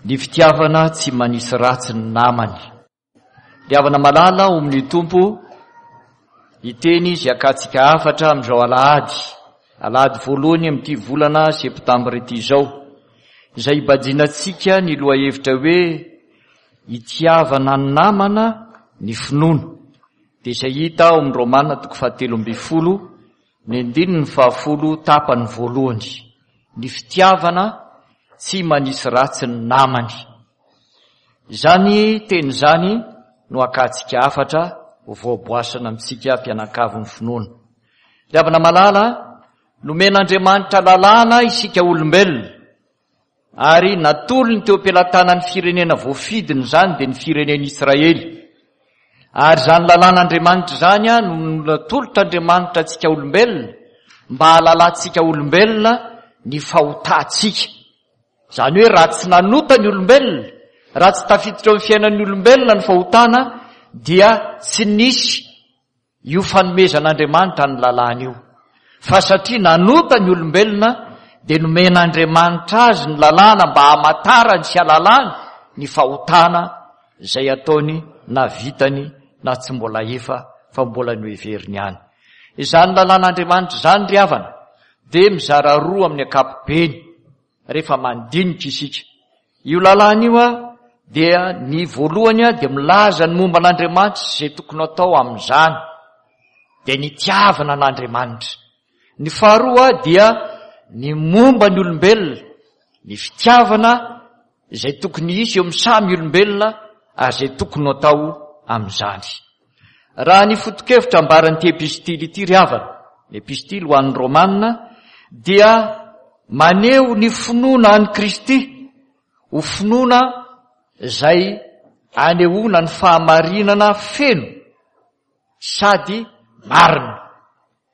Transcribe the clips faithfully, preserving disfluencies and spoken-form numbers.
Ny fitiavana tsy manisy ratsy ny namany. Ry havana malala ao amin'ny Tompo, hiteny izy hakatsika hafatra amin'izao alahady, alahady voalohany amin'ity volana septambra ity izao, izay hibajinantsika ny lohahevitra hoe itiavana ny namana ny finoana. Dia izay hita ao amin'ny Romana toko fahatelo ambin'ny folo, ny andininy fahafolo tapany voalohany. Ny fitiavana tsy manisy ratsy ny namany. Izany teny izany no hakatsika hafatra ho voaboasana amintsika mpianakavin'ny finoana. Ry havana malala, nomen'Andriamanitra lalàna isika olombelona, ary natolony teo am-pelatanan'ny firenena voafidiny izany, dia ny firenen'Israely. Ary izany lalàn'Andriamanitra izany no natolotr'Andriamanitra antsika olombelona, mba hahalalantsika olombelona ny fahotantsika. Izany hoe raha tsy nanota ny olombelona, raha tsy tafiditra eo amin'ny fiainan'ny olombelona ny fahotana, dia tsy nisy io fanomezan'Andriamanitra ny lalàna io. Fa satria nanota ny olombelona, dia nomen'Andriamanitra azy ny lalàna mba hamantarany sy hahalalany ny fahotana izay ataony na vitany na tsy mbola efa fa mbola noheveriny ihany. Izany lalàn'Andriamanitra izany ry havana dia mizara roa amin'ny ankapobeny rehefa mandinika isika. Io lalàna io dia ny voalohany dia milaza ny momba an'Andriamanitra sy izay tokony atao amin'izany, dia ny itiavana an'Andriamanitra. Ny faharoa dia ny momba ny olombelona, ny fitiavana izay tokony hisy eo amin'ny samy olombelona ary izay tokony atao amin'izany. Raha ny foto-kevitra ambaran'ity epistily ity ry havana, ny epistily ho an'ny Romana, dia maneho ny finoana an'i Kristy ho finoana izay anehoana ny fahamarinana feno sady marina.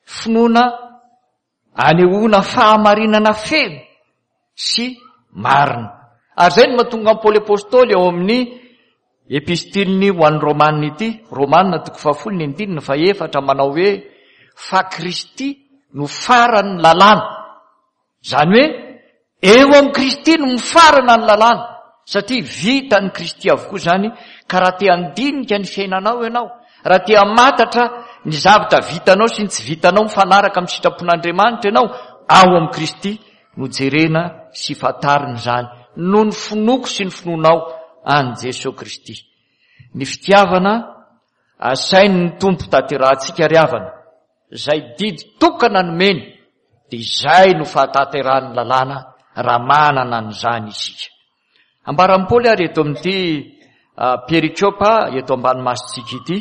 Finoana anehoana fahamarinana feno sy marina. Ary izay no mahatonga an'i Paoly Apostoly ao amin'ny epistiliny ho an'ny Romana ity, Romana toko fahafolo ny andininy fahefatra, manao hoe fa Kristy no faran'ny lalàna. Izany hoe eo amin'i Kristy no mifarana ny lalàna, satria vitan'i Kristy avokoa izany. Ka raha te handinika ny fiainanao ianao, raha te hamantatra ny zavatra vitanao sy ny tsy vitanao mifanaraka amin'ny sitrapon'Andriamanitra ianao, ao amin'i Kristy no jerena sy fantarina izany, noho ny finoako sy ny finoanao an'i Jesoa Kristy. Ny fitiavana asain'ny Tompo tanterahantsika ry havana, izay didy tokana nomeny, dia izay no fahatanterahan'ny lalàna raha manana an'izany isika. Ambaran'i Paoly ary eto amin'ity perikopa eto ambany masontsika ity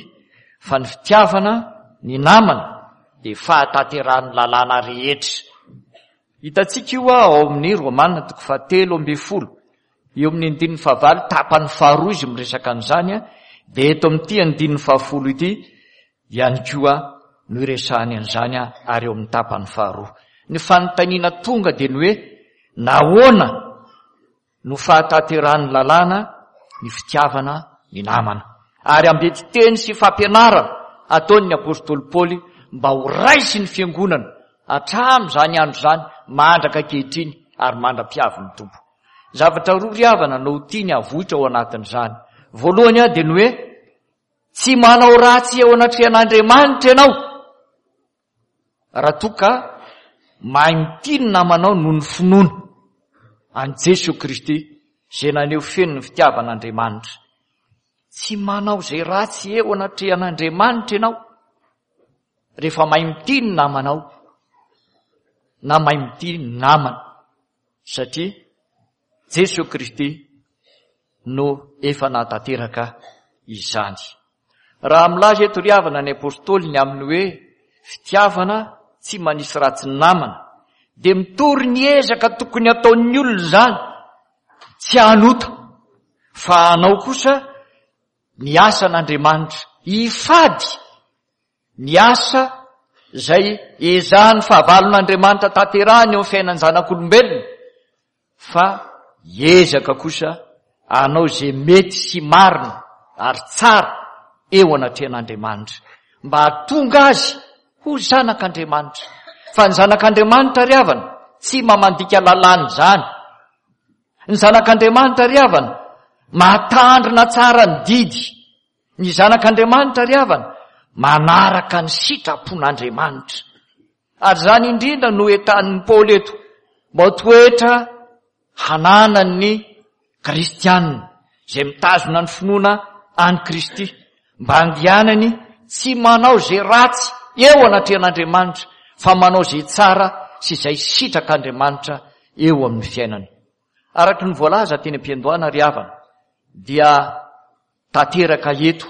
fa ny fitiavana ny namana dia fahatanterahan'ny lalàna rehetra. Hitantsika io ao amin'ny Romana toko fahatelo ambin'ny folo, eo amin'ny andininy fahavalo tapany faharoa izy miresaka an'izany, dia eto amin'ity andininy fahafolo ity ihany koa no iresahany an'izany ary eo amin'ny tapany faharoa. Ny fanontaniana tonga dia ny hoe nahoana no fahatanterahan'ny lalàna ny fitiavana ny namana? Ary ambety teny sy fampianarana ataon'ny apostoly Paoly mba ho raisin'ny fiangonana hatramin'izany andro izany mandraka ankehitriny ary mandra-piavin'ny Tompo. Zavatra roa ry havana no tiany havoitra ao anatin'izany. Voalohany dia ny hoe tsy manao ratsy eo anatrehan'Andriamanitra ianao raha toa ka mahay mitia ny namanao noho ny finoana an'i Jesoa Kristy izay naneho feno ny fitiavan'Andriamanitra. Tsy manao izay ratsy eo anatrehan'Andriamanitra ianao rehefa mahay mitia ny namanao na mahay mitia ny namana, satria Jesoa Kristy no efa nahatanteraka izany. Raha milaza eto ry havana ny apostoly ny amin'ny hoe fitiavana tsy manisy ratsy ny namana, dia mitory ny ezaka tokony ataon'ny olona izany, tsy hanota fa hanao kosa ny asan'Andriamanitra, hifady ny asa izay ezahan'ny fahavalon'Andriamanitra tanterahany eo amin'ny fiainan'ny zanak'olombelona, fa hiezaka kosa hanao izay mety sy marina ary tsara eo anatrehan'Andriamanitra, mba hahatonga azy ho zanak'Andriamanitra. Fa ny zanak'Andriamanitra ry havana tsy mamandika lalàna izany, Ny zanak'Andriamanitra ry havana mahatandrina tsara ny didy. Ny zanak'Andriamanitra ry havana manaraka ny sitrapon'Andriamanitra. Ary izany indrindra no entanin'i Paoly eto mba ho toetra hananan'ny kristianina izay mitazona ny finoana an'i Kristy, mba handehanany tsy manao izay ratsy eo anatrehan'Andriamanitra fa manao izay tsara sy izay sitrak'Andriamanitra eo amin'ny fiainany. Araka ny voalaza teny am-piandohana ry havana dia tanteraka eto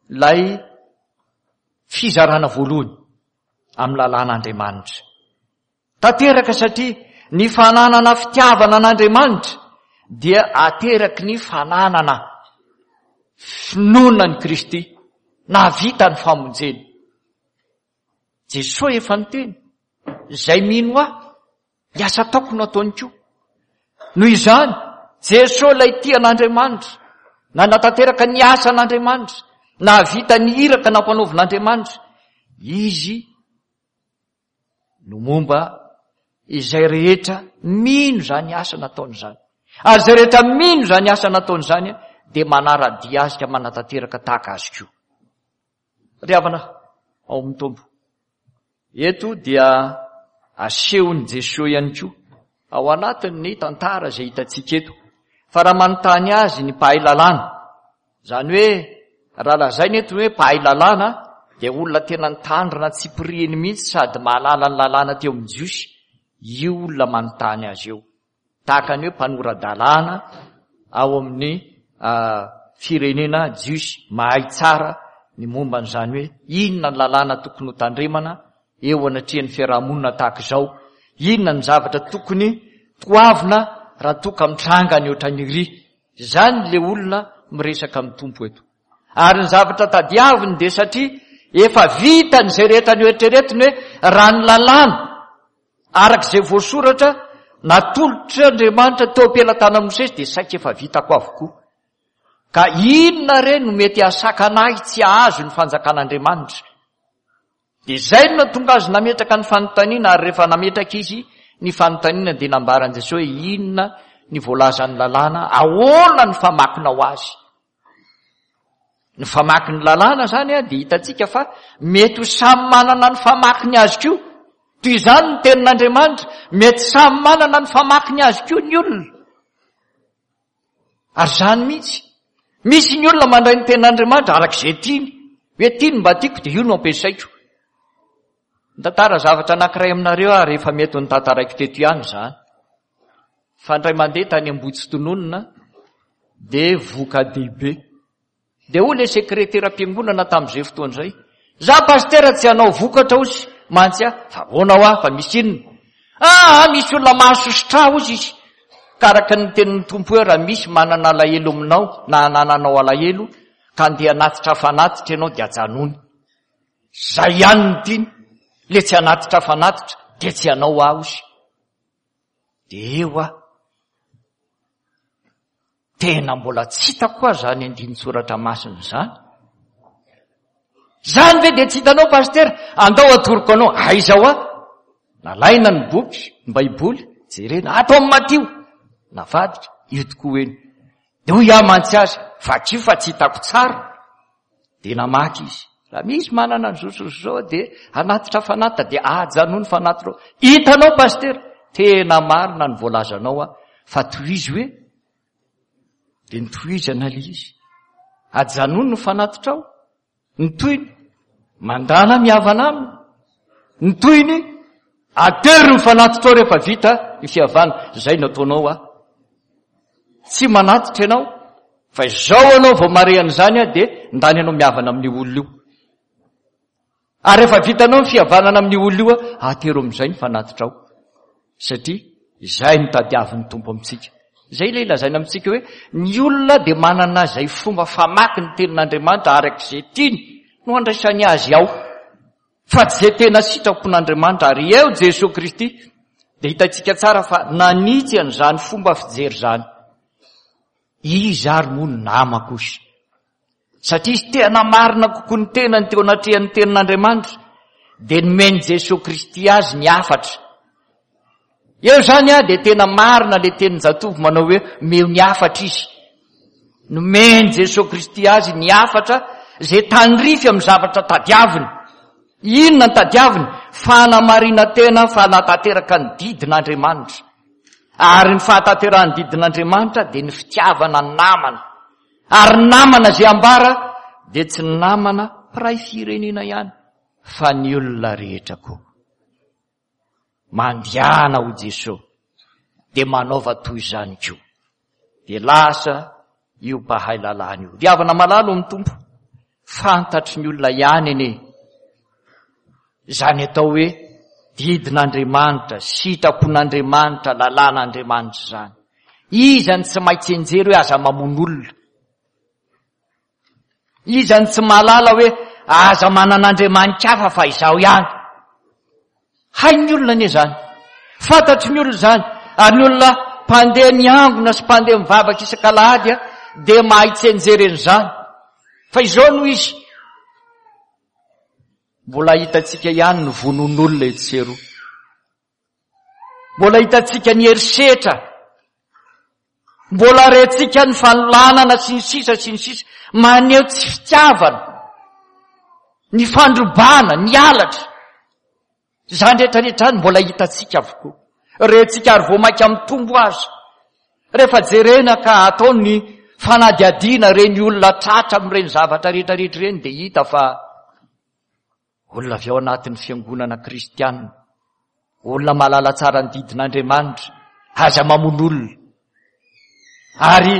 ilay fizarana voalohany amin'ny lalàn'Andriamanitra. Tanteraka satria ny fananana fitiavana an'Andriamanitra dia ateraky ny fananana finoana an'i Kristy nahavita ny famonjena. Jesoa efa niteny, izay mino ahy, ny asa ataoko no ataony koa. Noho izany, Jesoa ilay tia an'Andriamanitra, nanatanteraka ny asan'Andriamanitra, nahavita ny iraka nampanaovin'Andriamanitra, izy no momba izay rehetra mino izany asa nataony izany. Ary izay rehetra mino izany asa nataony izany dia manara-dia azy ka manatanteraka tahaka azy koa. Ry havana ao amin'ny Tompo, eto dia asehon'i Jesoa ihany koa ao anatin'ny tantara izay hitantsika eto fa raha manontany azy ny mpahay lalàna, izany hoe raha lazaina eto hoe mpahay lalàna dia olona tena nitandrina tsipiriany mihitsy sady mahalala ny lalàna teo amin'ny Jiosy, io olona manontany azy io. Tahaka ny hoe mpanora-dalàna ao amin'ny firenena Jiosy, mahay tsara ny momba an'izany hoe inona ny lalàna tokony ho tandremana eo anatrehan'ny fiarahamonina tahaka izao, inona ny zavatra tokony toavina raha toa ka mitranga ny ohatran'iry. Izany ilay olona miresaka amin'ny Tompo eto. Ary ny zavatra tadiaviny dia satria efa vitany izay rehetra noeritreretiny hoe raha ny lalàna araka izay voasoratra natolotr'Andriamanitra teo am-pelatanan'i Mosesy dia saika efa vitako avokoa. Ka inona re no mety hahasakana ahy tsy hahazo ny fanjakan'Andriamanitra? Dia izay no nahatonga azy nametraka ny fanontaniana, ary rehefa nametraka izy ny fanontaniana dia nambaran'i Jesosy hoe inona ny voalazan'ny lalàna, ahoana ny famakinao azy? Ny famakin'ny lalàna izany dia hitantsika fa mety ho samy manana ny famakiny azy koa. Toy izany ny tenin'Andriamanitra, mety samy manana ny famakiny azy koa ny olona. Ary izany mihitsy. Misy ny olona mandray ny tenin'Andriamanitra araka izay tiany. Hoe tiany mba tiako dia io no ampiasaiko. Nitantara zavatra anankiray aminareo aho rehefa mety ho notantaraiko teto ihany izany. Fa indray mandeha tany Ambohitsitononina dia voka-dehibe. Dia hoy ilay sekreteram-piangonana tamin'izay fotoana izay, za pastera tsy hanao vokatra hozy mantsy aho, fa ahoana ho aho fa misy inona? Ah, misy olona mahasosotra ahy hozy izy. Ka araka ny tenin'ny Tompo hoe raha misy manana alahelo aminao na anananao alahelo ka andeha hanatitra fanatitra ianao dia ajanony. Zay ihany no tiany, le tsy hanatitra fanatitra dia tsy hanao aho hozy. Dia eo aho. Tena mbola tsy hitako aho izany andinin-tsoratra masina izany. Izany ve dia tsy hitanao pasitera? Andao atoroko anao. Aiza ho aho? Nalaina ny boky, ny Baiboly, jerena. Ato amin'ny Matio. Navadika, io tokoa eny. Dia hoy aho mantsy azy, vakio fa tsy hitako tsara. Dia namaky izy. Raha misy manana ny zo sy zo dia hanatitra fanatitra, dia ajanony fanatitra. Hitanao pasitera, tena marina ny voalazanao aho, fa tohizo hoe. Dia nitohizana ilay izy. Ajanony ny fanatitrao. Ny tohiny, mandana mihavana aminy. Ny tohiny, atero ny fanatitrao rehefa vita ny fihavana. Izay no ataonao aho. Tsy manatitra ianao, fa izao ianao vao mahare an'izany aho, dia ndany ianao mihavana amin'io olona io. Ary rehefa vitanao ny fihavanana amin'io olona io, atero amin'izay ny fanatitrao. Satria izay no tadiavin'ny Tompo amintsika. Izay ilay lazaina amintsika hoe ny olona dia manana izay fomba famaky ny tenin'Andriamanitra araka izay tiany no andraisany azy ao. Fa tsy izay tena sitrapon'Andriamanitra. Ary eo Jesoa Kristy dia hitantsika tsara fa nanitsy an'izany fomba fijery izany. Iza ary moa no namako ozy? Satria izy te hanamarina kokoa ny tenany teo anatrehan'ny tenin'Andriamanitra, dia nomen'i Jesoa Kristy azy ny hafatra. Eo izany a dia tena marina le tenin-jatovo manao hoe meo ny hafatra izy. Nomen'i Jesoa Kristy azy ny hafatra izay tandrify amin'ny zavatra tadiaviny. Inona ny tadiaviny? Fanamarinan-tena, fanatanteraka ny didin'Andriamanitra. Ary ny fahatanterahan'ny didin'Andriamanitra dia ny fitiavana ny namana. Ary ny namana izay ambara dia tsy ny namana mpiray firenena ihany fa ny olona rehetra koa. Mandehana ho Jesoa dia manaova toy izany koa. Dia lasa io mpahay lalàna io. Ry havana malala amin'ny Tompo, fantatry ny olona ihany anie izany atao hoe didin'Andriamanitra, sitrapon'Andriamanitra, lalàn'Andriamanitra izany. Iza ny tsy mahay tsianjery hoe aza mamono olona? Iza ny tsy mahalala hoe aza manana andriamanitra hafa fa izaho ihany? Hain'ny olona anie izany. Fantatry ny olona izany. Ary ny olona mpandeha miangona sy mpandeha mivavaka isak'alahady dia mahay tsianjery an'izany. Fa izao no izy. Mbola hitantsika ihany ny vonoan'olona etsy sy eroa. Mbola hitantsika ny herisetra. Mbola rentsika ny fanolanana sy ny sisa sy ny sisa. Maneho tsy fitiavana, ny fandrobana, ny halatra. Izany rehetra rehetra izany mbola hitantsika avokoa. Rentsika ary vao mainka mitombo aza. Rehefa jerena ka atao ny fanadihadiana ireny olona tratra amin'ireny zavatra rehetra rehetra ireny dia hita fa olona avy ao anatin'ny fiangonana kristianina, olona mahalala tsara ny didin'Andriamanitra, aza mamono olona. Ary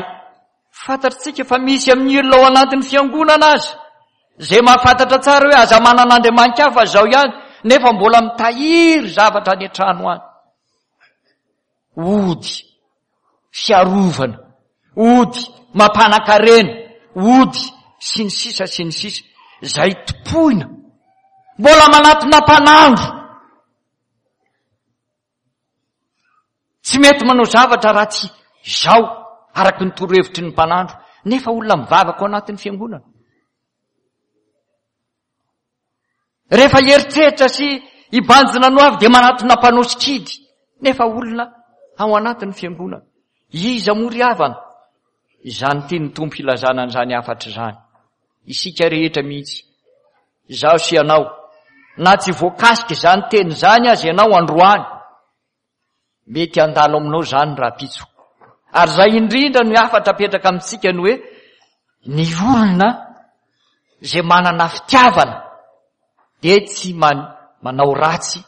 fantatritsika fa misy amin'ny olona ao anatin'ny fiangonana aza izay mahafantatra tsara hoe aza manana andriamanitra hafa izao ihany, nefa mbola mitahiry zavatra any an-trano any. Ody fiarovana, ody mampanan-karena, ody sy ny sisa sy ny sisa, izay tompoina. Mbola manatona mpanandro. Tsy mety manao zavatra raha tsy izao, araka ny torohevitry ny mpanandro, nefa olona mivavaka ao anatin'ny fiangonana. Rehefa hieritreritra sy hibanjina no avy dia manatona mpanao sikidy, nefa olona ao anatin'ny fiangonana. Iza moa ry havana? Izany tian'ny Tompo hilazana an'izany hafatra izany. Isika rehetra mihitsy, izaho sy ianao, na tsy voakasika izany teny izany aza ianao androany, mety handalo aminao izany rahampitso. Ary izay indrindra no hafatra apetraka amintsika ny hoe ny olona izay manana fitiavana dia tsy manao ratsy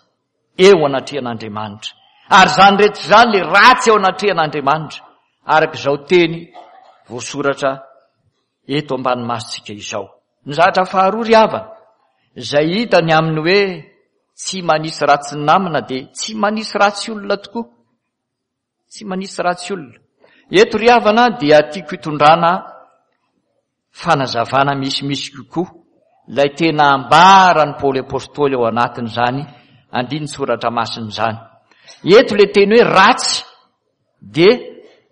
eo anatrehan'Andriamanitra. Ary izany rehetra izany le ratsy eo anatrehan'Andriamanitra, araka izao teny voasoratra eto ambany masontsika izao. Ny zavatra faharoa ry havana, izay hita ny amin'ny hoe tsy manisy ratsy ny namana dia tsy manisy ratsy olona tokoa. Tsy manisy ratsy olona. Eto ry havana dia tiako hitondrana fanazavana misimisy kokoa ilay tena ambaran'i Paoly Apostoly ao anatin'izany andinin-tsoratra masina izany. Eto ilay teny hoe ratsy dia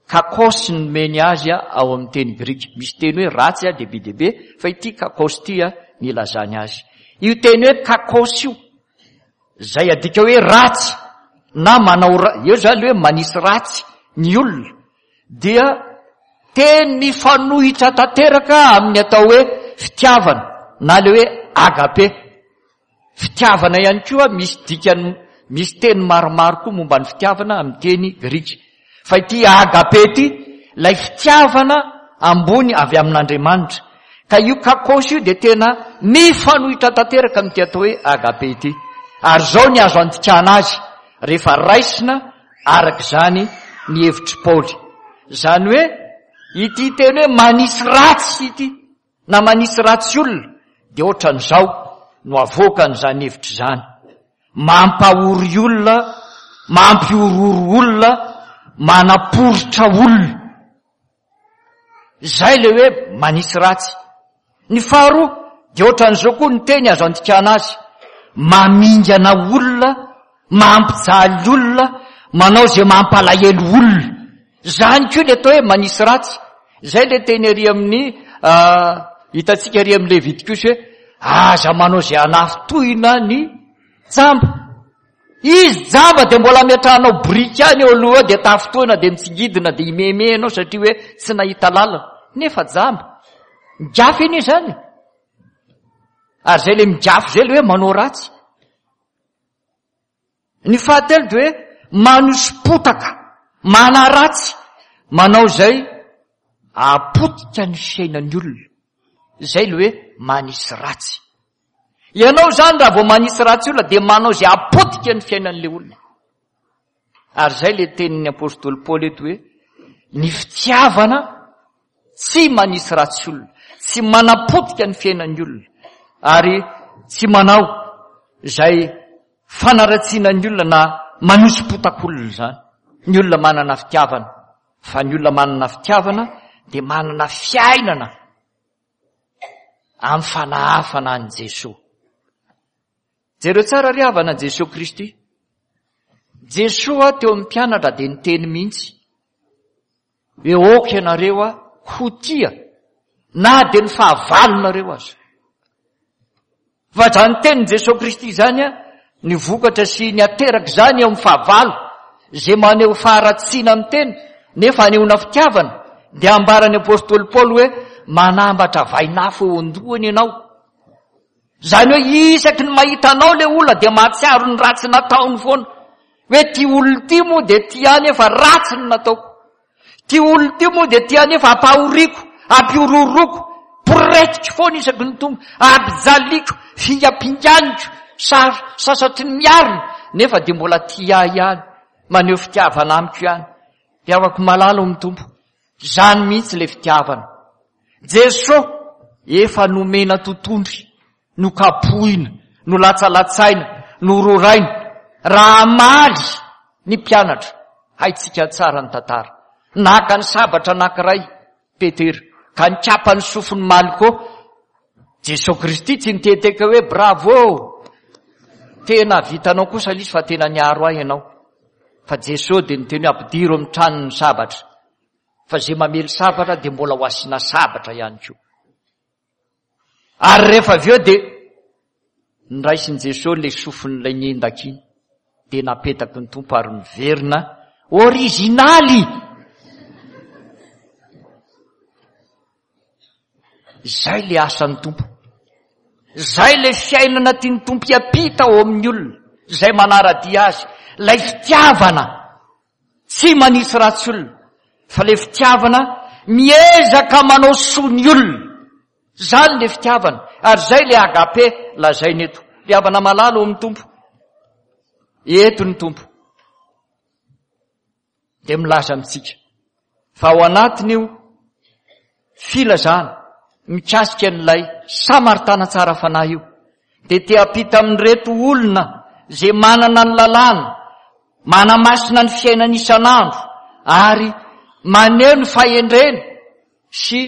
kakos no nomeny azy ao amin'ny teny grika. Misy teny hoe ratsy dia be dia be, fa ity kakos ity ny ilazany azy. Io teny hoe kakos io, izay adika hoe ratsy na manao ra-, eo izany hoe manisy ratsy ny olona, dia teny mifanohitra tanteraka amin'ny atao hoe fitiavana na le hoe agape. Fitiavana ihany koa misy dikany, misy teny maromaro koa momba ny fitiavana amin'ny teny grika. Fa ity agape ity, ilay fitiavana ambony avy amin'Andriamanitra. Ka io kakos io dia tena mifanohitra tanteraka amin'ity atao hoe agape ity. Ary izao ny azo andikana azy rehefa raisina araka izany ny hevitr'i Paoly. Izany hoe ity teny hoe manisy ratsy ity na manisy ratsy olona dia ohatran'izao no avoakan'izany hevitra izany. Mampahory olona, mampihorohoro olona, manaporitra olona. Izay ilay hoe manisy ratsy. Ny faharoa dia ohatran'izao koa ny teny azo andikana azy. Mamingana olona, mampijaly olona, manao izay mampalahelo olona. Izany koa ilay atao hoe manisy ratsy. Izay ilay teny ary amin'ny, hitantsika ary amin'ny Levitikosy hoe aza manao izay hanafintohina ny jamba. Izy jamba dia mbola ametrahanao biriky ihany eo aloha eo, dia tafintohina, dia mitsingidina, dia imehimehy ianao satria hoe tsy nahita lalana. Nefa jamba. Migafy anie izany. Ary izay ilay migafy izay ilay hoe manao ratsy. Ny fahatelo dia hoe manoso-potaka, manaratsy, manao izay hahapotika ny fiainan'ny olona. Izay ilay hoe manisy ratsy. Ianao izany raha vao manisy ratsy olona dia manao izay hahapotika ny fiainan'ilay olona. Ary izay ilay tenin'ny apostoly Paoly eto hoe ny fitiavana tsy manisy ratsy olona, tsy manapotika ny fiainan'ny olona, ary tsy manao izay fanaratsiana ny olona na manoso-potak'olona izany. Ny olona manana fitiavana, fa ny olona manana fitiavana dia manana fiainana amin'ny fanahafana an'i Jesoa. Jereo tsara ry havana Jesoa Kristy. Jesoa teo amin'ny mpianatra dia niteny mihitsy hoe aoka ianareo ho tia na dia ny fahavalonareo aza. Fa izany tenin'i Jesoa Kristy izany, ny vokatra sy ny ateraka izany eo amin'ny fahavalo izay maneho faharatsiana amin'ny teny nefa anehoana fitiavana, dia ambaran'ny apostoly Paoly hoe manambatra vainafo eo an-dohany ianao. Izany hoe isaky ny mahita anao ilay olona dia mahatsiaro ny ratsy nataony foana. Hoe ty olona ity moa dia tia ahy nefa ratsy ny nataoko. Ty olona ity moa dia tia ahy nefa ampahoriako, ampihorohoroako, poretiko foana isaky ny tonga, ampijaliko, fingampinganiko, sar-, sasatry ny miarina, nefa dia mbola tia ahy ihany, maneho fitiavana amiko ihany. Ry havako malala ao amin'ny Tompo, izany mihitsy ilay fitiavana. Jesoa efa nomena totondry, nokapohina, nolatsalatsaina, nororaina, raha hamaly ny mpianatra. Haintsika tsara ny tantara. Naka ny sabatra anankiray Petera, ka nikapa ny sofin'i Malko. Jesoa Kristy tsy nitehitehika hoe bravo, tena vitanao kosa ilay izy fa tena niaro ahy ianao. Fa Jesoa dia niteny hoe ampidiro amin'ny tranony ny sabatra, fa izay mamely sabatra dia mbola ho asiana sabatra ihany koa. Ary rehefa avy eo dia niraisin'i Jesoa ilay sofin'ilay niendaka iny, dia napetaky ny Tompo ary miverina orizinaly. Izay ilay asan'ny Tompo. Izay ilay fiainana tian'ny Tompo hiampita ao amin'ny olona izay manara-dia azy. Ilay fitiavana tsy manisy ratsy olona, fa ilay fitiavana miezaka manao soa ny olona. Izany ilay fitiavana, ary izay ilay agape lazaina eto. Ry havana malala ao amin'ny Tompo, eto ny Tompo dia milaza amintsika fa ao anatin'io filazana mikasika an'ilay Samaritana tsara fanahy io dia te hampita amin'ireto olona izay manana ny lalàna, manamasina ny fiainany isan'andro ary maneho ny fahendrena sy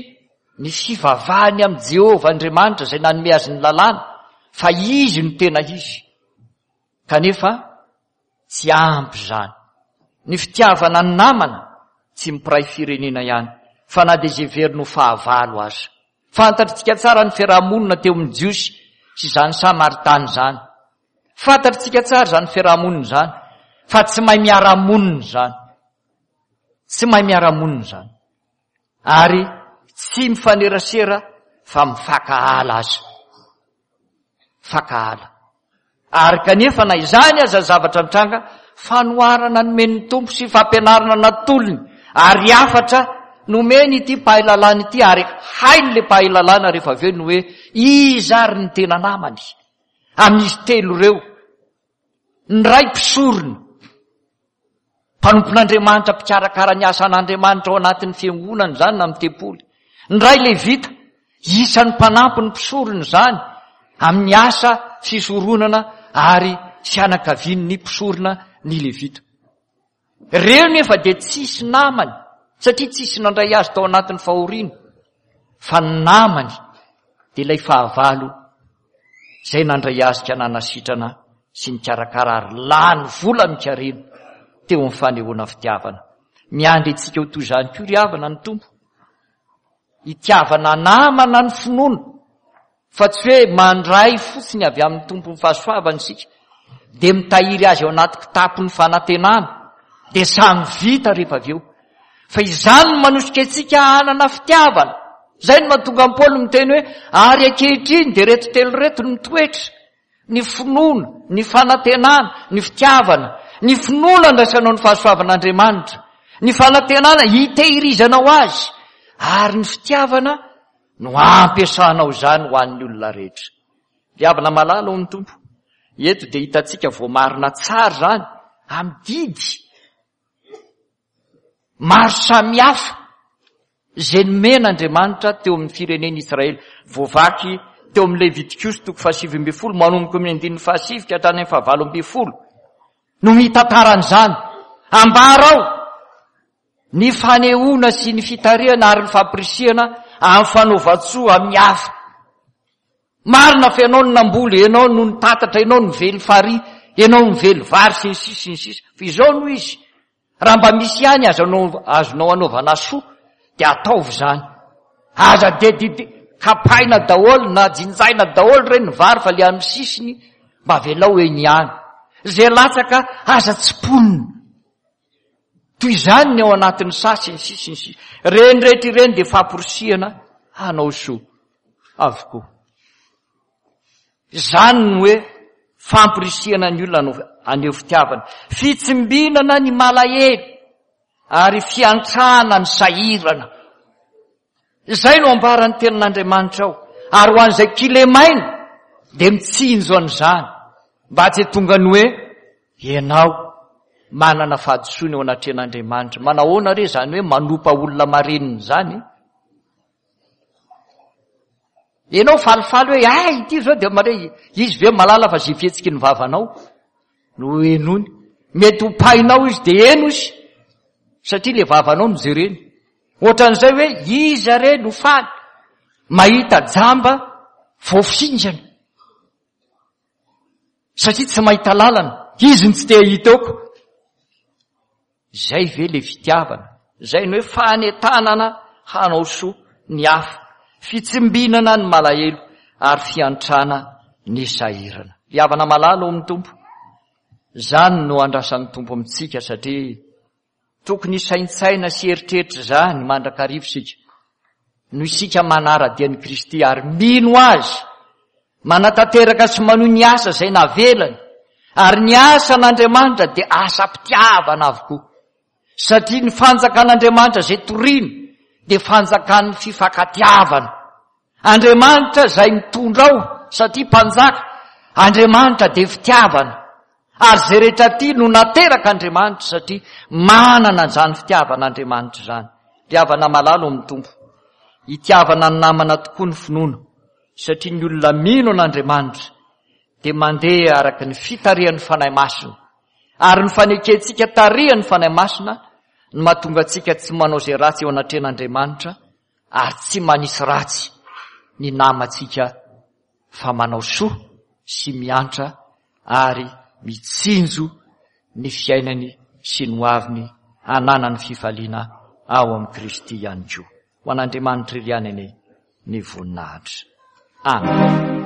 ny fivavahany amin'i Jehovah Andriamanitra izay nanome azy ny lalàna, fa izy no tena izy. Kanefa tsy ampy izany. Ny fitiavana ny namana tsy mpiray firenena ihany, fa na dia izay heveriny ho fahavalo aza. Fantatritsika tsara ny fiaraha-monina teo amin'ny Jiosy sy izany Samaritana izany. Fantatritsika tsara izany fiaraha-monina izany, fa tsy mahay miara-monina izany. Tsy mahay miara-monina izany. Ary tsy mifanerasera fa mifankahala aza. Mifankahala. Ary kanefa na izany aza ny zavatra mitranga, fanoharana nomen'ny Tompo sy fampianarana natolony ary hafatra nomeny ity mpahay lalàna ity, ary hain'ilay mpahay lalàna rehefa avy eo ny hoe iza ary ny tena namany amin'izy telo ireo. Ny ray mpisorona, mpanompon'Andriamanitra, mpikarakara ny asan'Andriamanitra ao anatin'ny fiangonana izany na amin'ny tempoly. Ny ray levita, isan'ny mpanampy ny mpisorona izany amin'ny asa fisoronana ary fianakavian'ny mpisorona ny levita. Ireo nefa dia tsisy namany, satria tsisy nandray azy tao anatin'ny fahoriana, fa ny namany dia ilay fahavalo izay nandray azy ka nanasitrana sy nikarakara ary lany vola mikarena teo amin'ny fanehoana fitiavana. Miandry antsika ho toy izany koa ry havana ny Tompo. Itiavana namana ny finoana, fa tsy hoe mandray fotsiny avy amin'ny Tompon'ny fahasoavana isika, dia mitahiry azy ao anaty kitapon'ny fanantenana, dia samy vita rehefa avy eo. Fa izany no manosika antsika hanana fitiavana. Izay no mahatonga an'i Paoly miteny hoe ary ankehitriny dia ireto telo ireto no mitoetra: ny finoana, ny fanantenana, ny fitiavana. Ny finoana andraisanao ny fahasoavan'Andriamanitra, ny fanantenana hitehirizanao azy, ary ny fitiavana no ampiasanao izany ho an'ny olona rehetra. Ry havana malala ao amin'ny Tompo, eto dia hitantsika voamarina tsara izany amin'ny didy maro samihafa izay nomen'Andriamanitra teo amin'ny firenen'Israely. Voavaky teo amin'ny Levitikosy toko fahasivy ambin'ny folo, manomboka amin'ny andininy fahasivy ka hatrany amin'ny fahavalo ambin'ny folo no mitantara an'izany. Ambara ao ny fanehoana sy ny fitarihana ary ny fampirisihana amin'ny fanaovan-tsoa amin'ny hafa. Marina fa ianao no namboly, ianao no nitatatra, ianao no nively farihy, ianao no nively vary sy ny sisa sy ny sisa. Fa izao no izy, raha mba misy ihany azonao, azonao anaovana soa, dia ataovy izany. Aza dia didy kapaina daholo na jinjaina daholo ireny ny vary fa le amin'ny sisiny mba avelao eny ihany. Izay latsaka aza tsiponina. Toy izany ny ao anatin'ny saha sy ny sisa sy ny sisa. Ireny rehetra ireny dia famporisihana hanao soa avokoa. Izany no hoe famporisihana ny olona haneho fitiavana. Fitsimbinana ny malahelo ary fiantrana ny sahirana. Izay no ambaran'ny tenin'Andriamanitra ao. Ary ho an'izay kilemaina dia mitsinjo an'izany mba tsy tonga ny hoe ianao manana fahadisoana eo anatrehan'Andriamanitra. Manahoana re izany hoe manompa olona marenina izany? Ianao falifaly hoe ay ity izao dia mare izy ve malala fa izay fihetsiky ny vavanao no henoiny. Mety ho painao izy dia heno izy satria le vavanao no jereny. Ohatran'izay hoe iza re no faly mahita jamba voafingana satria tsy mahita lalana, izy no tsy te hahita eo. Izay ve le fitiavana? Izay no hoe fanentanana hanao soa ny hafa, fitsimbinana ny malahelo ary fiantrana ny sahirana. Ry havana malala ao amin'ny Tompo, izany no andrasan'ny Tompo amintsika satria tokony hisaintsaina sy hieritreritra izany mandrakariva isika. Noho isika manara-dia an'i Kristy ary mino Azy, manatanteraka sy manohy ny asa izay navelany, ary ny asan'Andriamanitra dia asam-pitiavana avokoa. Satria ny fanjakan'Andriamanitra izay torina dia fanjakan'ny fifankatiavana. Andriamanitra izay mitondra ao satria mpanjaka, Andriamanitra dia fitiavana. Ary izay rehetra tia no nateraka Andriamanitra satria manana an'izany fitiavan'Andriamanitra izany. Ry havana malala ao amin'ny Tompo, itiavana ny namana tokoa ny finoana, satria ny olona mino an'Andriamanitra dia mandeha araka ny fitarihan'ny Fanahy Masina. Ary ny fanekentsika tarihan'ny Fanahy Masina no mahatonga antsika tsy manao izay ratsy eo anatrehan'Andriamanitra ary tsy manisy ratsy ny namantsika fa manao soa sy miantra ary mitsinjo ny fiainany sy ny hoaviny hananany fifaliana ao amin'i Kristy ihany koa. Ho an'Andriamanitra irery ihany anie ny voninahitra. Amen.